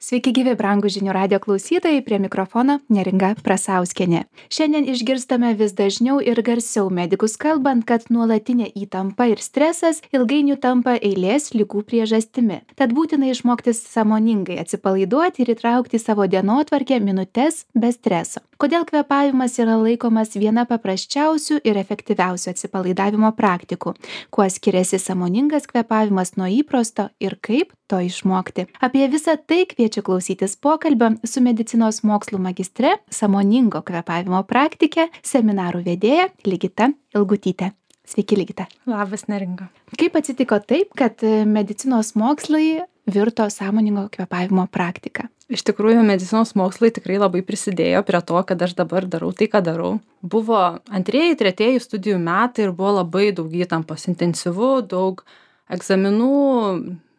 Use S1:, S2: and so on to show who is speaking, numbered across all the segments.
S1: Sveiki gyvi, brangūs žinių radijo klausytojai, prie mikrofono Neringa Prasauskienė. Šiandien išgirstame vis dažniau ir garsiau medikus kalbant, kad nuolatinė įtampa ir stresas ilgainiui tampa eilės ligų priežastimi. Tad būtina išmokti sąmoningai atsipalaiduoti ir įtraukti į savo dienotvarkę minutes be streso. Kodėl kvėpavimas yra laikomas viena paprasčiausių ir efektyviausių atsipalaidavimo praktikų? Kuo skiriasi sąmoningas kvėpavimas nuo įprasto ir kaip to išmokti? Apie visą tai kviečiu klausytis pokalbio su medicinos mokslų magistre, sąmoningo kvėpavimo praktike, seminarų vedėja Ligita Ilgutytė. Sveiki, Ligita.
S2: Labas, Neringa.
S1: Kaip atsitiko taip, kad medicinos mokslai virto sąmoningo kvėpavimo praktika?
S2: Iš tikrųjų, medicinos mokslai tikrai labai prisidėjo prie to, kad aš dabar darau tai, ką darau. Buvo antrieji, tretieji studijų metai ir buvo labai daug įtampos, intensyvu, daug egzaminų,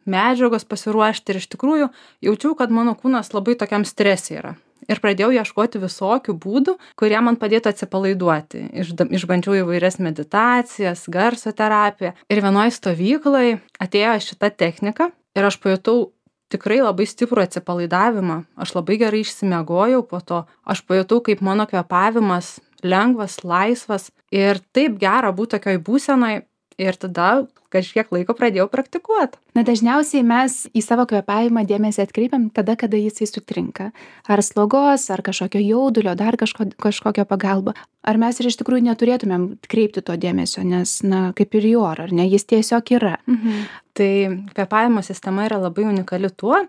S2: medžiagos pasiruošti ir iš tikrųjų jaučiau, kad mano kūnas labai tokiam strese yra. Ir pradėjau ieškoti visokių būdų, kurie man padėtų atsipalaiduoti. Išbandžiau įvairias meditacijas, garso terapiją. Ir vienoje stovykloje atėjo šita technika ir aš pajutau tikrai labai stiprų atsipalaidavimą. Aš labai gerai išsimiegojau po to. Aš pajutau, kaip mano kvėpavimas lengvas, laisvas ir taip gera būti tokioj būsenoj. Ir tada kažkiek laiko pradėjau praktikuoti.
S1: Dažniausiai mes į savo kvėpavimą dėmesį atkreipiam tada, kada jisai sutrinka. Ar slogos, ar kažkokio jaudulio, dar kažkokio pagalba. Ar mes ir iš tikrųjų neturėtumėm kreipti to dėmesio, nes, kaip ir į orą, ar ne, jis tiesiog yra.
S2: Tai kvėpavimo sistema yra labai unikali tuo,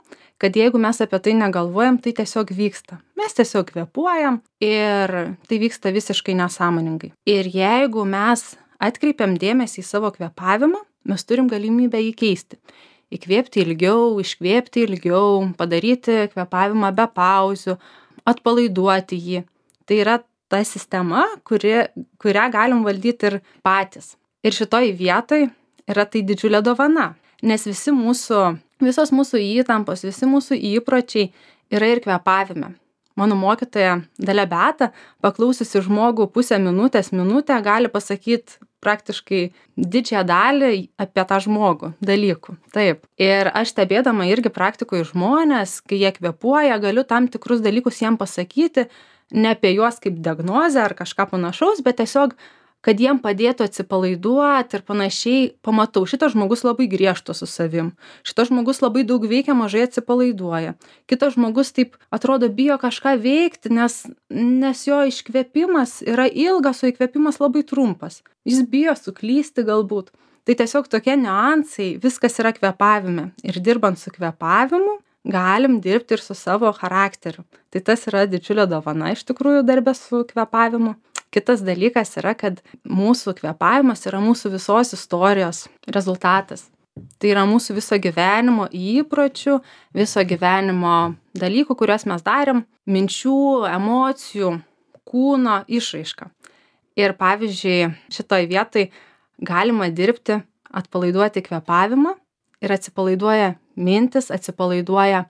S2: kad jeigu mes apie tai negalvojam, tai tiesiog vyksta. Mes tiesiog kvėpuojam ir tai vyksta visiškai nesąmoningai. Ir jeigu mes atkreipiam dėmesį į savo kvėpavimą, mes turim galimybę jį keisti. Įkvėpti ilgiau, iškvėpti ilgiau, padaryti kvėpavimą be pauzių, atpalaiduoti jį. Tai yra ta sistema, kurią galim valdyti ir patys. Ir šitoj vietoj yra tai didžiulė dovana, nes visos mūsų įtampos, visi mūsų įpročiai yra ir kvėpavime. Mano mokytoja Dalia Beata, paklausiusi žmogų minutę, gali pasakyti praktiškai didžiąją dalį apie tą žmogų dalykų. Taip. Ir aš stebėdama irgi praktikoje žmonės, kai jie kvėpuoja, galiu tam tikrus dalykus jiem pasakyti, ne apie juos kaip diagnozę ar kažką panašaus, bet tiesiog, kad jiem padėtų atsipalaiduoti ir panašiai. Pamatau, šitas žmogus labai griežtas su savim. Šitas žmogus labai daug veikia, mažai atsipalaiduoja. Kitas žmogus taip atrodo bijo kažką veikti, nes jo iškvėpimas yra ilgas, o įkvėpimas labai trumpas. Jis bijo suklysti galbūt. Tai tiesiog tokie niuansai, viskas yra kvėpavime. Ir dirbant su kvėpavimu, galim dirbti ir su savo charakteriu. Tai tas yra didžiulė dovana iš tikrųjų darbe su kvėpavimu. Kitas dalykas yra, kad mūsų kvėpavimas yra mūsų visos istorijos rezultatas. Tai yra mūsų viso gyvenimo įpročių, viso gyvenimo dalykų, kuriuos mes darėm, minčių, emocijų, kūno išraiška. Ir pavyzdžiui, šitoj vietoj galima dirbti, atpalaiduoti kvėpavimą ir atsipalaiduoja mintis, atsipalaiduoja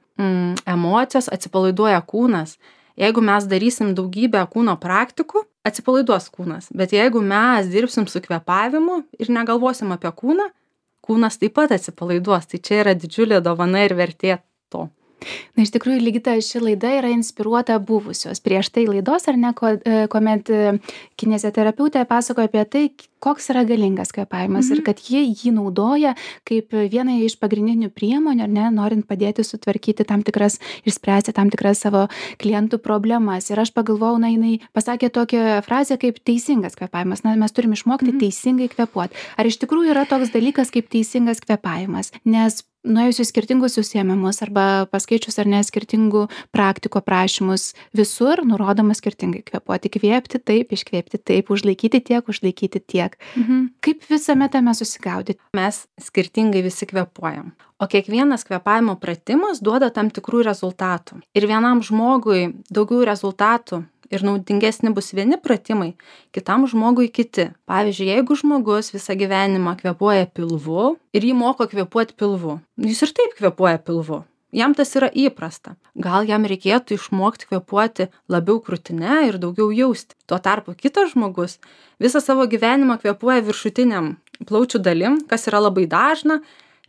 S2: emocijos, atsipalaiduoja kūnas. Jeigu mes darysim daugybę kūno praktikų, atsipalaiduos kūnas. Bet jeigu mes dirbsim su kvėpavimu ir negalvosim apie kūną, kūnas taip pat atsipalaiduos. Tai čia yra didžiulė dovana ir vertė to.
S1: Iš tikrųjų, Ligita, ši laida yra inspiruota buvusios prieš tai laidos, ar ne, kuomet kineziterapeutė pasakoja apie tai, koks yra galingas kvėpavimas ir kad jį naudoja kaip vieną iš pagrindinių priemonių, ar ne, norint padėti sutvarkyti išspręsti tam tikras savo klientų problemas. Ir aš pagalvojau, jinai pasakė tokią frazę kaip teisingas kvėpavimas. Mes turim išmokti teisingai kvėpuoti. Ar iš tikrųjų yra toks dalykas kaip teisingas kvėpavimas? Nes nuėjus į skirtingus užsiėmimus arba paskaičius ar ne skirtingų praktikų aprašymus, visur nurodoma skirtingai kvėpuoti. Kvėpti taip, iškvėpti taip, užlaikyti tiek. Kaip visame tame susigaudyti?
S2: Mes skirtingai visi kvėpuojam. O kiekvienas kvėpavimo pratimas duoda tam tikrų rezultatų. Ir vienam žmogui daugiau rezultatų ir naudingesni bus vieni pratimai, kitam žmogui kiti. Pavyzdžiui, jeigu žmogus visą gyvenimą kvėpuoja pilvu ir jį moko kvėpuoti pilvu, jis ir taip kvėpuoja pilvu. Jam tas yra įprasta. Gal jam reikėtų išmokti kvėpuoti labiau krūtine ir daugiau jausti. Tuo tarpu kitas žmogus visą savo gyvenimą kvėpuoja viršutiniam plaučių dalim, kas yra labai dažna,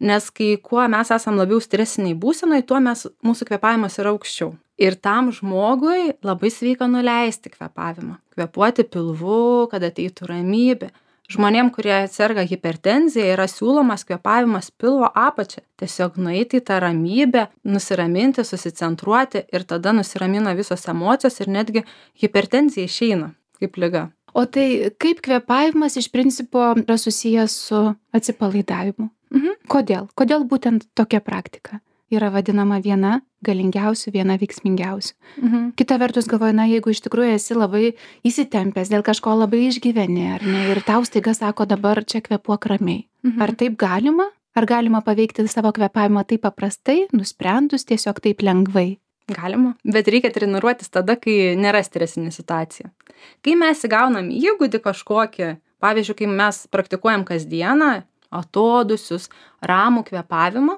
S2: Nes kai kuo mes esam labiau stresiniai būsenoj, tuo mūsų kvėpavimas yra aukščiau. Ir tam žmogui labai sveika nuleisti kvėpavimą. Kvėpuoti pilvu, kad ateitų ramybė. Žmonėm, kurie serga hipertenzija, yra siūlomas kvėpavimas pilvo apačia. Tiesiog nueiti į tą ramybę, nusiraminti, susicentruoti ir tada nusiramina visos emocijos ir netgi hipertenzija išeina kaip liga.
S1: O tai kaip kvėpavimas iš principo yra susijęs su atsipalaidavimu? Kodėl? Kodėl būtent tokia praktika yra vadinama viena galingiausių, viena veiksmingiausių? Kita vertus galvoju, jeigu iš tikrųjų esi labai įsitempęs, dėl kažko labai išgyveni, ar ne, ir tau staiga sako, dabar čia kvėpuok ramiai. Ar taip galima? Ar galima paveikti savo kvėpavimą taip paprastai, nusprendus tiesiog taip lengvai?
S2: Galima, bet reikia treniruotis tada, kai nėra stresinė situacija. Kai mes įgaunam įgūdį kažkokį, pavyzdžiui, kai mes praktikuojam kasdieną, atodūsius, ramų kvėpavimą,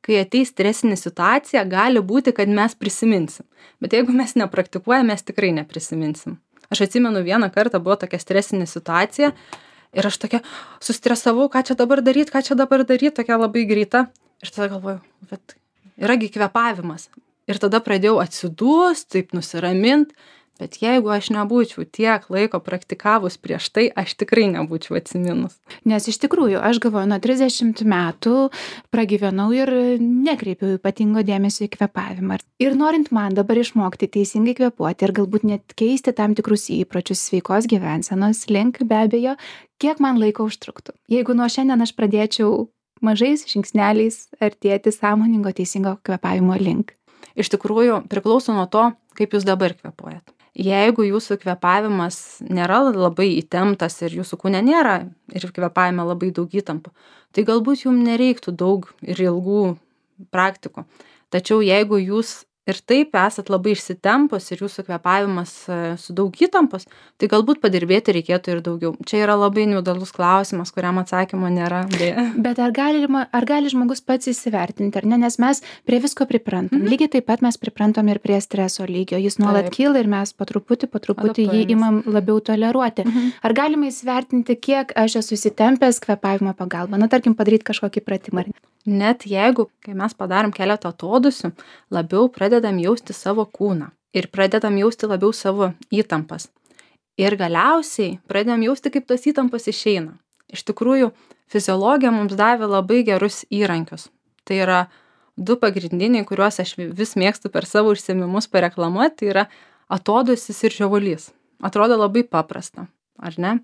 S2: kai ateis stresinė situacija, gali būti, kad mes prisiminsim. Bet jeigu mes nepraktikuojam, mes tikrai neprisiminsim. Aš atsimenu, vieną kartą buvo tokia stresinė situacija ir aš tokia sustresavau, ką čia dabar daryt, tokia labai greita. Ir tada galvoju, bet yragi kvėpavimas. Ir tada pradėjau atsidūst, taip nusiramint. Bet jeigu aš nebūčiau tiek laiko praktikavus prieš tai, aš tikrai nebūčiau atsiminus.
S1: Nes iš tikrųjų, aš galvoju, nuo 30 metų pragyvenau ir nekreipiau ypatingo dėmesio į kvėpavimą. Ir norint man dabar išmokti teisingai kvėpuoti ir galbūt net keisti tam tikrus įpročius sveikos gyvensenos link, be abejo, kiek man laiko užtruktų. Jeigu nuo šiandien aš pradėčiau mažais žingsneliais artėti sąmoningo teisingo kvėpavimo link.
S2: Iš tikrųjų, priklauso nuo to, kaip jūs dabar kvėpuojat. Jeigu jūsų kvėpavimas nėra labai įtemptas ir jūsų kūne nėra ir kvėpavime labai daug įtampų, tai galbūt jums nereiktų daug ir ilgų praktikų. Tačiau jeigu jūs ir taip esat labai išsitempus ir jūsų kvėpavimas su daug įtampos, tai galbūt padirbėti reikėtų ir daugiau. Čia yra labai individualus klausimas, kuriam atsakymo nėra.
S1: Bet ar gali žmogus pats įsivertinti, ar ne? Nes mes prie visko priprantam. Lygiai taip pat mes priprantam ir prie streso lygio. Jis nuolat kyla ir mes po truputį jį imam labiau toleruoti. Ar galima įsivertinti, kiek aš esu įsitempęs kvėpavimo pagalba? Tarkim, padaryti kažkokį pratimą.
S2: Net jeigu, kai mes padarom keletą atodūsių, labiau pradedam jausti savo kūną ir pradedam jausti labiau savo įtampas. Ir galiausiai pradedam jausti, kaip tos įtampas išeina. Iš tikrųjų, fiziologija mums davė labai gerus įrankius. Tai yra 2 pagrindiniai, kuriuos aš vis mėgstu per savo užsiėmimus pareklamuoti, tai yra atodūsis ir žiovulys. Atrodo labai paprasta, ar ne?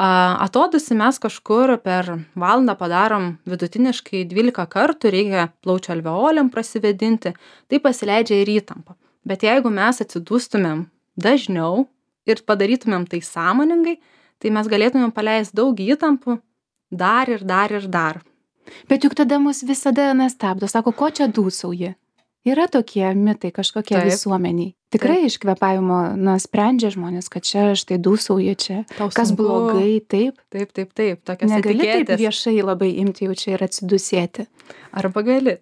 S2: Atodūsį mes kažkur per valandą padarom vidutiniškai 12 kartų, reikia plaučių alveolėm prasivedinti, tai pasileidžia ir įtampa. Bet jeigu mes atsidūstumėm dažniau ir padarytumėm tai sąmoningai, tai mes galėtumėm paleisti daug įtampų dar ir dar.
S1: Bet juk tada mus visada nestabdo, sako, ko čia dūsauji? Yra tokie mitai kažkokie visuomeniai. Tikrai iš kvėpavimo sprendžia žmonės, kad čia štai dūsauja, čia kas blogai, taip?
S2: Taip, tokios etiketės.
S1: Negali taip viešai labai imti jau čia ir atsidusėti.
S2: Arba gali.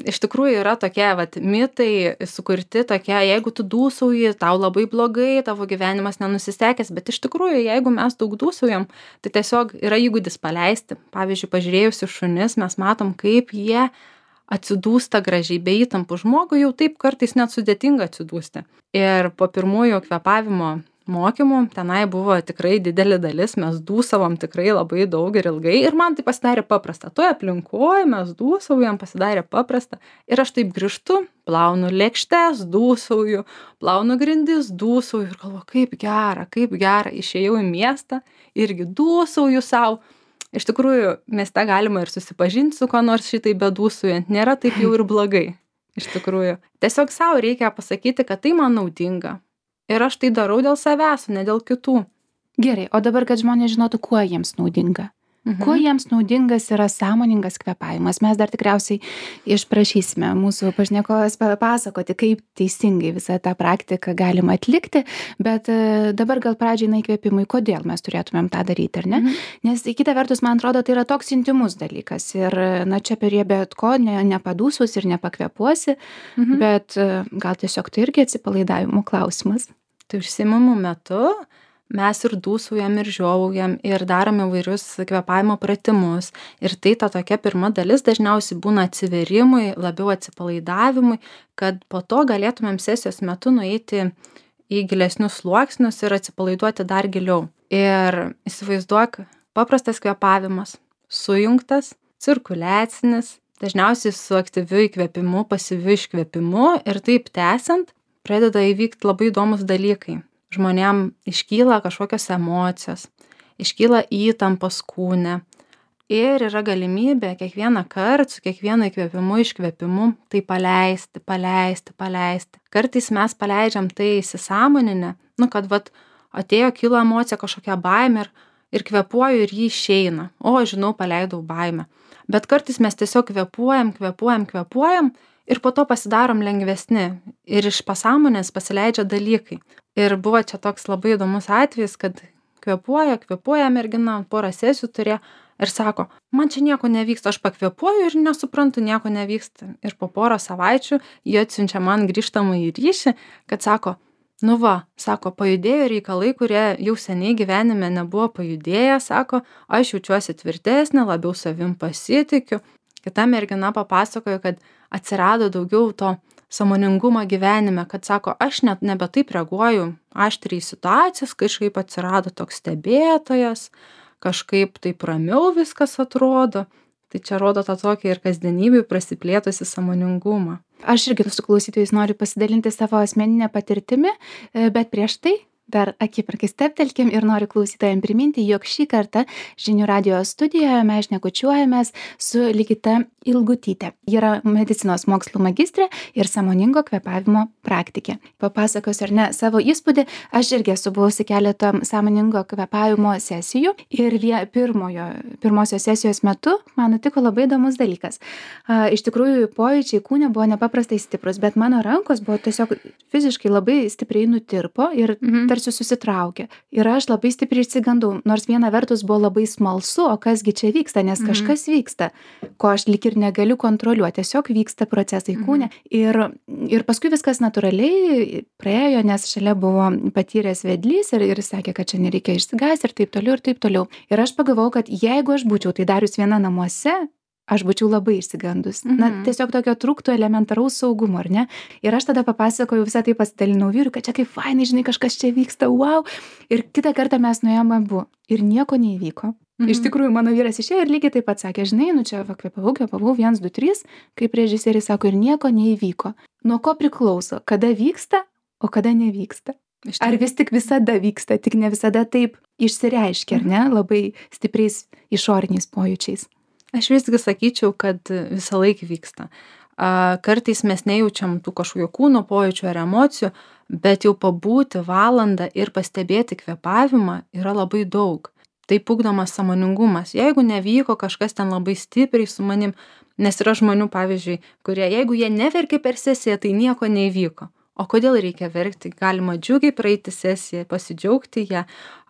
S2: Iš tikrųjų yra tokie mitai sukurti tokie, jeigu tu dūsauji, tau labai blogai, tavo gyvenimas nenusisekęs, bet iš tikrųjų, jeigu mes daug dūsaujam, tai tiesiog yra įgūdis paleisti. Pavyzdžiui, pažiūrėjus į šunis, mes matom, kaip jie atsidūsta gražiai be įtampų. Žmogui jau taip kartais net sudėtinga atsidūsti. Ir po pirmųjų kvėpavimo mokymų tenai buvo tikrai didelė dalis, mes dūsavom tikrai labai daug ir ilgai ir man tai pasidarė paprasta. Toje aplinkoje mes dūsaujam, pasidarė paprasta ir aš taip grįžtu, plaunu lėkštes, dūsauju, plaunu grindis, dūsauju ir galvoju, kaip gera, išėjau į miestą, irgi dūsauju savo. Iš tikrųjų, mieste galima ir susipažinti su ko nors šitai bedūsaujant, nėra taip jau ir blogai. Iš tikrųjų, tiesiog savo reikia pasakyti, kad tai man naudinga. Ir aš tai darau dėl savęs, ne dėl kitų.
S1: Gerai, o dabar, kad žmonės žinotų, kuo jiems naudinga. Kuo jiems naudingas yra sąmoningas kvėpavimas. Mes dar tikriausiai išprašysime mūsų pašnekovės papasakoti, kaip teisingai visą tą praktiką galima atlikti, bet dabar gal pradžiai įkvėpimui, kodėl mes turėtumėm tą daryti, ar ne? Nes kita vertus, man atrodo, tai yra toks intimus dalykas ir čia prie bet ko nepadūsus ir nepakvėpuosi, bet gal tiesiog tai irgi atsipalaidavimo klausimas.
S2: Tai užsiėmimų metu mes ir dūsaujam, ir žiovaujam, ir darom įvairius kvėpavimo pratimus. Ir tai ta tokia pirma dalis dažniausiai būna atsiverimui, labiau atsipalaidavimui, kad po to galėtumėm sesijos metu nueiti į gilesnius sluoksnius ir atsipalaiduoti dar giliau. Ir įsivaizduok, paprastas kvėpavimas, sujungtas, cirkuliacinis, dažniausiai su aktyviu įkvėpimu, pasyviu iškvėpimu ir taip tęsiant pradeda įvykti labai įdomus dalykai. Žmonėm iškyla kažkokios emocijos, iškyla įtampos kūne ir yra galimybė kiekvieną kartą su kiekvienu įkvėpimu, iškvėpimu tai paleisti. Kartais mes paleidžiam tai įsisąmoninę, kad atėjo, kilo emocija, kažkokia baimė ir kvėpuoju ir ji išeina. O, žinau, paleidau baimę. Bet kartais mes tiesiog kvėpuojam ir po to pasidarom lengvesni ir iš pasąmonės pasileidžia dalykai. Ir buvo čia toks labai įdomus atvejis, kad kvėpuoja mergina, porą sesijų turėjo ir sako, man čia nieko nevyksta, aš pakvėpuoju ir nesuprantu, nieko nevyksta. Ir po porą savaičių jie atsiunčia man grįžtamąjį ryšį, kad sako, sako, pajudėjo reikalai, kurie jau seniai gyvenime nebuvo pajudėję, sako, aš jaučiuosi tvirtesnė, labiau savim pasitikiu. Kita mergina papasakojo, kad atsirado daugiau to sąmoningumo gyvenime, kad sako, aš net nebe taip reaguoju aštriai situacijas, kažkaip atsirado toks stebėtojas, kažkaip taip ramiau viskas atrodo. Tai čia rodo tą tokį ir kasdienybėj prasiplėtusi sąmoningumą.
S1: Aš irgi su klausytojais noriu pasidalinti savo asmeninę patirtimi, bet prieš tai dar akimirkai stabtelkim ir noriu klausytojams priminti, jog šį kartą Žinių radijo studijoje mes šnekučiuojamės su Ligita Ilgutyte. Ji yra medicinos mokslų magistrė ir sąmoningo kvėpavimo praktikė. Papasakosiu ar ne savo įspūdį, aš irgi esu buvusi keletą sąmoningo kvėpavimo sesijų ir pirmosios sesijos metu man nutiko labai įdomus dalykas. Iš tikrųjų, pojūčiai kūne buvo nepaprastai stiprus, bet mano rankos buvo tiesiog fiziškai labai stipriai nutirpo ir tarsi susitraukė. Ir aš labai stipriai išsigandau, nors viena vertus buvo labai smalsu, o kasgi čia vyksta, nes kažkas vyksta, ko aš lyg ir negaliu kontroliuoti, tiesiog vyksta procesai kūne. Ir paskui viskas natūraliai praėjo, nes šalia buvo patyręs vedlys ir sakė, kad čia nereikia išsigąsti ir taip toliau ir taip toliau. Ir aš pagalvojau, kad jeigu aš būčiau tai darius viena namuose, aš būčiau labai išsigandus. Tiesiog tokio trūktų elementaraus saugumo, ar ne? Ir aš tada papasakojau, visą tai pasidalinau vyrui, kad čia kaip fainai, žinai, kažkas čia vyksta, wow. Ir kitą kartą mes nuėjome abu ir nieko neįvyko. Iš tikrųjų, mano vyras išėjo ir lygiai taip pat sakė, žinai, čia kvėpavau, 1, 2, 3, kaip režisierius sako, ir nieko neįvyko. Nuo ko priklauso, kada vyksta, o kada nevyksta? Ar vis tik visada vyksta, tik ne visada taip išsireiškia, ar ne, labai stipriais išoriniais pojūčiais?
S2: Aš visgi sakyčiau, kad visą laiką vyksta. Kartais mes nejaučiam tų kažkokių kūno pojūčių ar emocijų, bet jau pabūti valandą ir pastebėti kvėpavimą yra labai daug. Taip ugdomas sąmoningumas. Jeigu nevyko kažkas ten labai stipriai su manim, nes yra žmonių, pavyzdžiui, kurie, jeigu jie neverkė per sesiją, tai nieko neįvyko. O kodėl reikia verkti? Galima džiugiai praeiti sesiją, pasidžiaugti ją,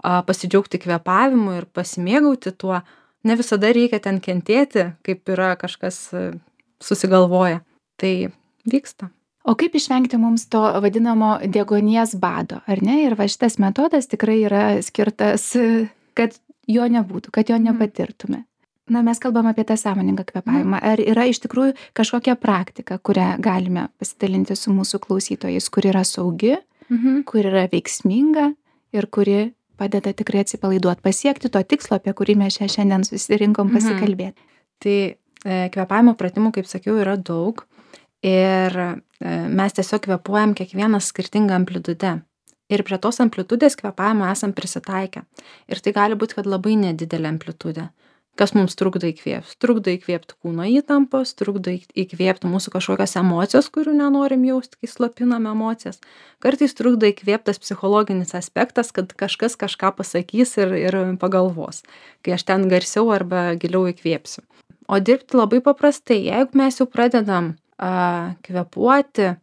S2: pasidžiaugti kvėpavimu ir pasimėgauti tuo. Ne visada reikia ten kentėti, kaip yra kažkas susigalvoja. Tai vyksta.
S1: O kaip išvengti mums to vadinamo deguonies bado, ar ne? Ir šitas metodas tikrai yra skirtas, kad jo nebūtų, kad jo nepatirtume. Mes kalbam apie tą sąmoningą kvėpavimą. Ar yra iš tikrųjų kažkokia praktika, kurią galime pasidalinti su mūsų klausytojais, kur yra saugi, kur yra veiksminga ir kuri padeda tikrai atsipalaiduoti, pasiekti to tikslo, apie kurį mes šiandien susirinkom pasikalbėti.
S2: Tai kvėpavimo pratimų, kaip sakiau, yra daug ir mes tiesiog kvėpuojam kiekvieną skirtingą amplitudę. Ir prie tos amplitudės kvėpavimo esam prisitaikę. Ir tai gali būti, kad labai nedidelė amplitudė. Kas mums trukdo įkvėpti? Trukdo įkvėpti kūno įtampos, trukdo įkvėpti mūsų kažkokias emocijos, kurių nenorim jausti, kai slopinam emocijas. Kartais trukdo įkvėptas psichologinis aspektas, kad kažkas kažką pasakys ir pagalvos, kai aš ten garsiau arba giliau įkvėpsiu. O dirbti labai paprastai, jeigu mes jau pradedam kvėpuoti,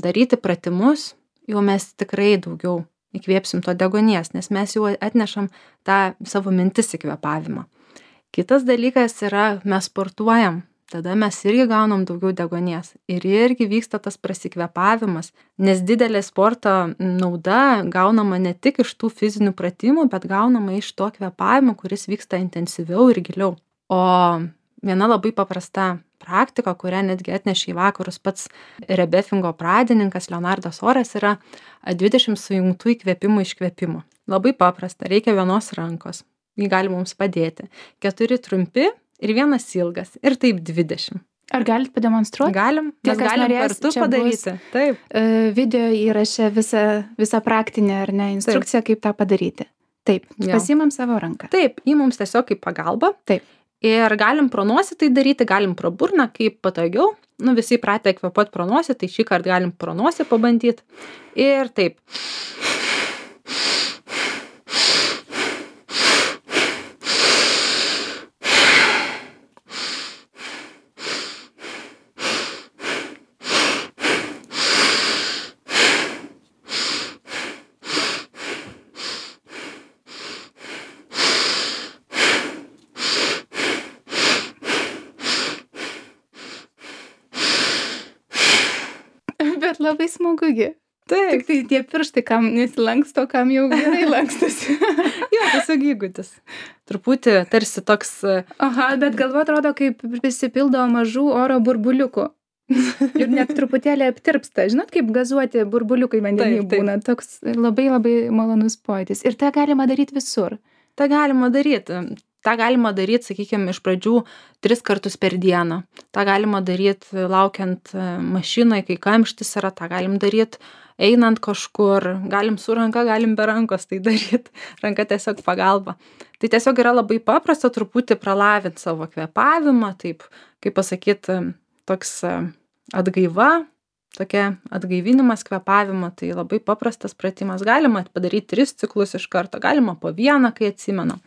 S2: daryti pratimus, jau mes tikrai daugiau įkvėpsim to deguonies, nes mes jau atnešam tą savo mintis į kvėpavimą. Kitas dalykas yra, mes sportuojam, tada mes irgi gaunam daugiau deguonies ir irgi vyksta tas prasikvėpavimas, nes didelė sporto nauda gaunama ne tik iš tų fizinių pratimų, bet gaunama iš to kvėpavimo, kuris vyksta intensyviau ir giliau. O viena labai paprasta praktika, kurią netgi atnešė į vakarus pats rebefingo pradininkas Leonardas Oras, yra 20 sujungtų įkvėpimų iškvėpimų. Labai paprasta, reikia vienos rankos, jį gali mums padėti, 4 trumpi ir 1 ilgas ir taip 20.
S1: Ar galit pademonstruoti?
S2: Galim, mes galim kartu padaryti. Taip.
S1: Video įraše visą praktinę ar ne instrukciją, kaip tą padaryti. Taip, pasiimam savo ranką.
S2: Taip, jį mums tiesiog kaip pagalba.
S1: Taip.
S2: Ir galim pro nosį tai daryti, galim pro burną, kaip patogiau. Visi pratę kvėpuoti pro nosį, tai šį kartą galim pro nosį pabandyti. Ir taip.
S1: Bet labai smagugi.
S2: Taip.
S1: Tik tai tie pirštai, kam nesilanksto, kam jau gerai lankstosi.
S2: Jo, tiesiog įgūdis. Truputį tarsi toks...
S1: Aha, bet galva atrodo, kaip prisipildo mažų oro burbuliukų. Ir net truputėlį aptirpsta. Žinot, kaip gazuoti burbuliukai vandenį būna. Toks labai labai malonus pojūtis. Ir tą galima daryti visur.
S2: tą galima daryti. tą galima daryt, sakykim, iš pradžių 3 kartus per dieną. Tą galima daryt laukiant mašinai, kai kamštis yra, tą galim daryt einant kažkur, galim su ranka, galim be rankos tai daryt, ranka tiesiog pagalba. Tai tiesiog yra labai paprasta truputį pralavint savo kvėpavimą, taip, kaip pasakyt, toks atgaiva, tokia atgaivinimas kvėpavimo, tai labai paprastas pratimas. Galima padaryti 3 ciklus iš karto, galima po 1, kai atsimenam.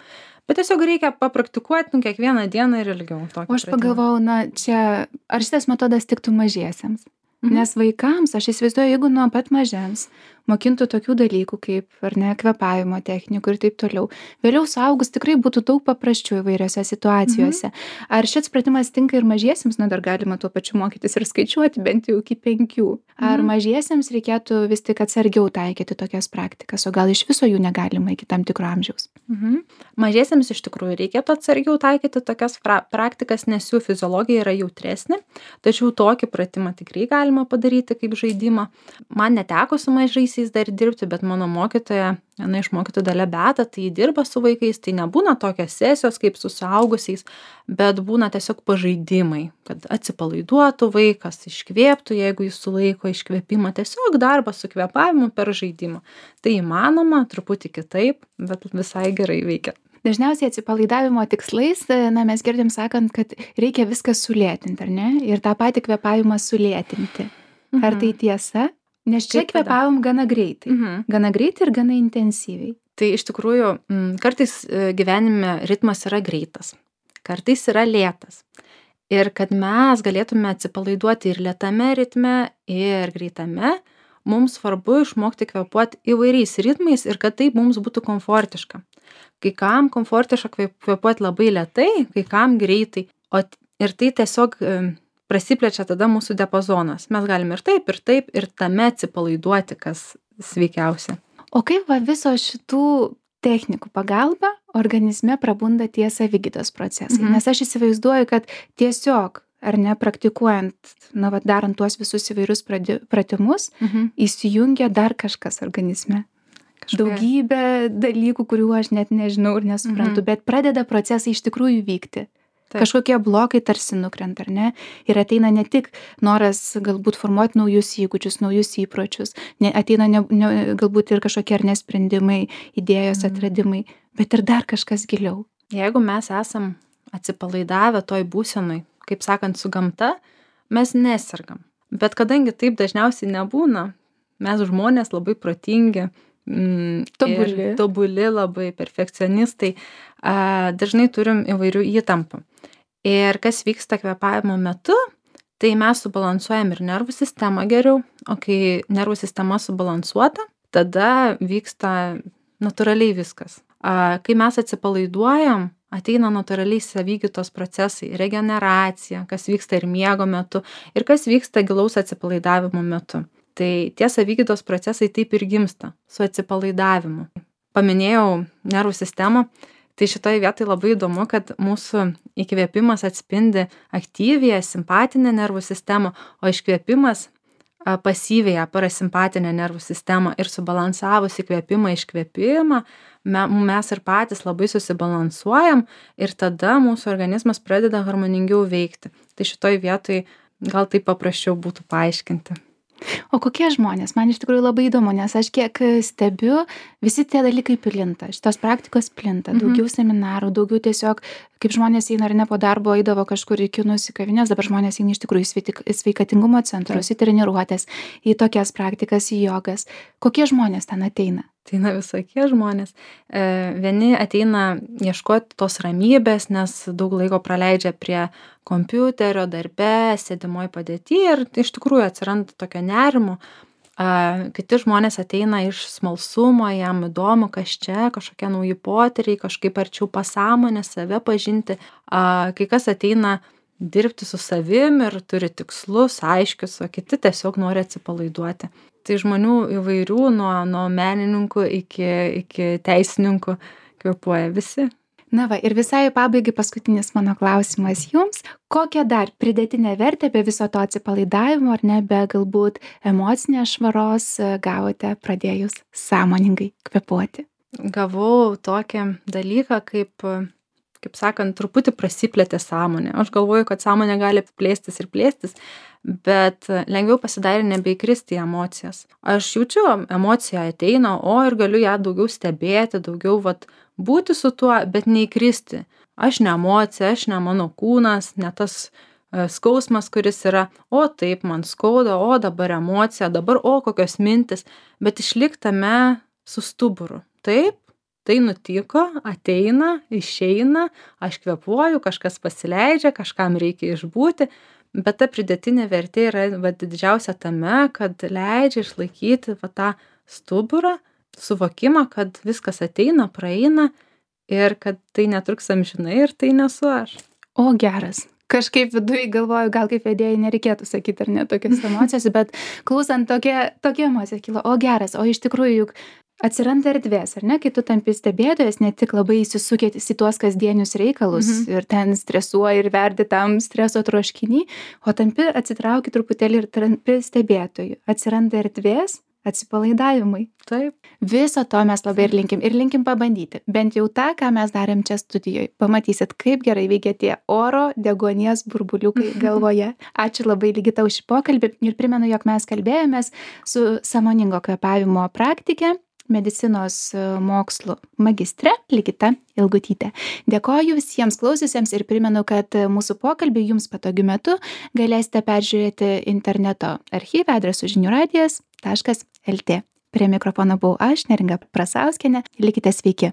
S2: Bet tiesiog reikia papraktikuoti kiekvieną dieną ir ilgiau.
S1: O aš pagalvojau, ar šitas metodas tiktų mažiesiems? Nes vaikams, aš įsivaizduoju, jeigu nuo pat mažens mokintų tokių dalykų kaip, ar ne, kvėpavimo technikų ir taip toliau, vėliau suaugus tikrai būtų daug paprasčiau įvairiose situacijose. Ar šis pratimas tinka ir mažiesiems, dar galima tuo pačiu mokytis ir skaičiuoti bent jau iki 5. Ar mažiesiems reikėtų vis tik atsargiau taikyti tokias praktikas, o gal iš viso jų negalima iki tam tikro amžiaus?
S2: Mažiesiems iš tikrųjų reikėtų atsargiau taikyti tokias praktikas, nes jų fiziologija yra jautresnė, tačiau tokį pratimą tikrai galima padaryti kaip žaidimą. Man neteko su mažaisiais dar dirbti, bet mano mokytoja, viena iš mokytojų Dalia Beata, tai dirba su vaikais, tai nebūna tokios sesijos kaip su suaugusiais, bet būna tiesiog pažaidimai, kad atsipalaiduotų vaikas, iškvėptų, jeigu jis sulaiko iškvėpimą, tiesiog darbas su kvėpavimu per žaidimą. Tai įmanoma, truputį kitaip, bet visai gerai veikia.
S1: Dažniausiai atsipalaidavimo tikslais, mes girdim sakant, kad reikia viską sulėtinti, ar ne? Ir tą patį kvėpavimą sulėtinti. Ar tai tiesa? Nes čia kvėpavom gana greitai. Gana greitai ir gana intensyviai.
S2: Tai iš tikrųjų, kartais gyvenime ritmas yra greitas, kartais yra lėtas. Ir kad mes galėtume atsipalaiduoti ir lėtame ritme, ir greitame, mums svarbu išmokti kvėpuoti įvairiais ritmais ir kad tai mums būtų komfortiška. Kai kam komfortiška kvėpuoti labai lėtai, kai kam greitai. Ir tai tiesiog prasiplečia tada mūsų diapazonas. Mes galime ir taip, ir tame atsipalaiduoti, kas sveikiausia.
S1: O kaip viso šitų technikų pagalba organizme prabunda tie savigydos procesai? Nes aš įsivaizduoju, kad tiesiog, ar ne, praktikuojant, darant tuos visus įvairius pratimus, įsijungia dar kažkas organizme. Daugybė dalykų, kurių aš net nežinau ir nesuprantu, bet pradeda procesai iš tikrųjų vykti. Taip. Kažkokie blokai tarsi nukrenta, ar ne? Ir ateina ne tik noras galbūt formuoti naujus įgūdžius, naujus įpročius, ateina galbūt ir kažkokie ar nesprendimai, idėjos atradimai, bet ir dar kažkas giliau.
S2: Jeigu mes esam atsipalaidavę toj būsenoj, kaip sakant, su gamta, mes nesergam. Bet kadangi taip dažniausiai nebūna, mes žmonės labai protingi, tobuli labai, perfekcionistai, dažnai turim įvairių įtampų. Ir kas vyksta kvėpavimo metu, tai mes subalansuojam ir nervų sistemą geriau, o kai nervų sistema subalansuota, tada vyksta natūraliai viskas. Kai mes atsipalaiduojam, ateina natūraliai savigytos procesai, regeneracija, kas vyksta ir miego metu, ir kas vyksta gilaus atsipalaidavimo metu. Tai tie savigytos procesai taip ir gimsta su atsipalaidavimu. Paminėjau nervų sistemą, tai šitoje vietoje labai įdomu, kad mūsų įkvėpimas atspindi aktyviąją simpatinę nervų sistemą, o iškvėpimas pasyviąją parasimpatinę nervų sistemą, ir subalansavus įkvėpimą, iškvėpimą, mes ir patys labai susibalansuojam ir tada mūsų organizmas pradeda harmoningiau veikti. Tai šitoj vietoj gal taip paprasčiau būtų paaiškinti.
S1: O kokie žmonės? Man iš tikrųjų labai įdomu, nes aš kiek stebiu, visi tie dalykai plinta, šitos praktikos plinta, daugiau seminarų, daugiau tiesiog, kaip žmonės eina ar ne po darbo, eidavo kažkur į kinus, į kavinės, dabar žmonės eina iš tikrųjų į sveikatingumo centrus, į treniruotės, į tokias praktikas, į jogas. Kokie žmonės ten ateina?
S2: Ateina visokie žmonės. Vieni ateina ieškoti tos ramybės, nes daug laiko praleidžia prie kompiuterio, darbe, sėdimoj padėty ir iš tikrųjų atsiranda tokio nerimo. Kiti žmonės ateina iš smalsumo, jam įdomu, kas čia, kažkokie nauji potyriai, kažkaip arčiau pasąmonės, save pažinti. Kai kas ateina dirbti su savim ir turi tikslus, aiškius, o kiti tiesiog nori atsipalaiduoti. Tai žmonių įvairių, nuo menininkų iki teisininkų kvėpuoja visi.
S1: Na va, ir visai pabaigai paskutinis mano klausimas jums. Kokią dar pridėtinę vertę be viso to atsipalaidavimo, ar ne, be galbūt emocinės švaros gavote pradėjus sąmoningai kvėpuoti?
S2: Gavau tokį dalyką, kaip sakant, truputį prasiplėtė sąmonė. Aš galvoju, kad sąmonė gali plėstis ir plėstis, bet lengviau pasidarė nebeįkristi į emocijas. Aš jaučiu, emocija ateina, ir galiu ją daugiau stebėti, daugiau būti su tuo, bet neįkristi. Aš ne emocija, aš ne mano kūnas, ne tas skausmas, kuris yra, taip man skauda, dabar emocija, dabar kokios mintis, bet išliktame su stuburu. Taip, tai nutiko, ateina, išeina, aš kvėpuoju, kažkas pasileidžia, kažkam reikia išbūti, bet ta pridėtinė vertė yra didžiausia tame, kad leidžia išlaikyti tą stuburą, suvokimą, kad viskas ateina, praeina ir kad tai netruks amžinai ir tai nesu aš.
S1: O geras. Kažkaip viduj galvoju, gal kaip vedėjai nereikėtų sakyti ar ne tokias emocijas, bet klausant tokia emocija kilo, geras, o iš tikrųjų juk atsiranda erdvės, ar ne, kai tu tampi stebėtojas, ne tik labai įsisukėtis į tuos kasdienius reikalus ir ten stresuoji ir verdi tam streso troškinį, o tampi atsitrauki truputėlį ir tampi stebėtoju. Atsiranda erdvės atsipalaidavimui.
S2: Taip.
S1: Viso to mes labai ir linkim pabandyti. Bent jau tą, ką mes darėm čia studijoje. Pamatysit, kaip gerai veikia tie oro deguonies burbuliukai galvoje. Ačiū labai, Ligita, už šį pokalbį ir primenu, jog mes kalbėjomės su sąmoningo kvėpavimo praktike, medicinos mokslų magistre Ligita Ilgutytė. Dėkoju visiems klausiusiems ir primenu, kad mūsų pokalbį jums patogiu metu galėsite peržiūrėti interneto archyvą adresu žiniųradijas.lt. Prie mikrofono buvau aš, Neringa Prasauskienė. Likite sveiki.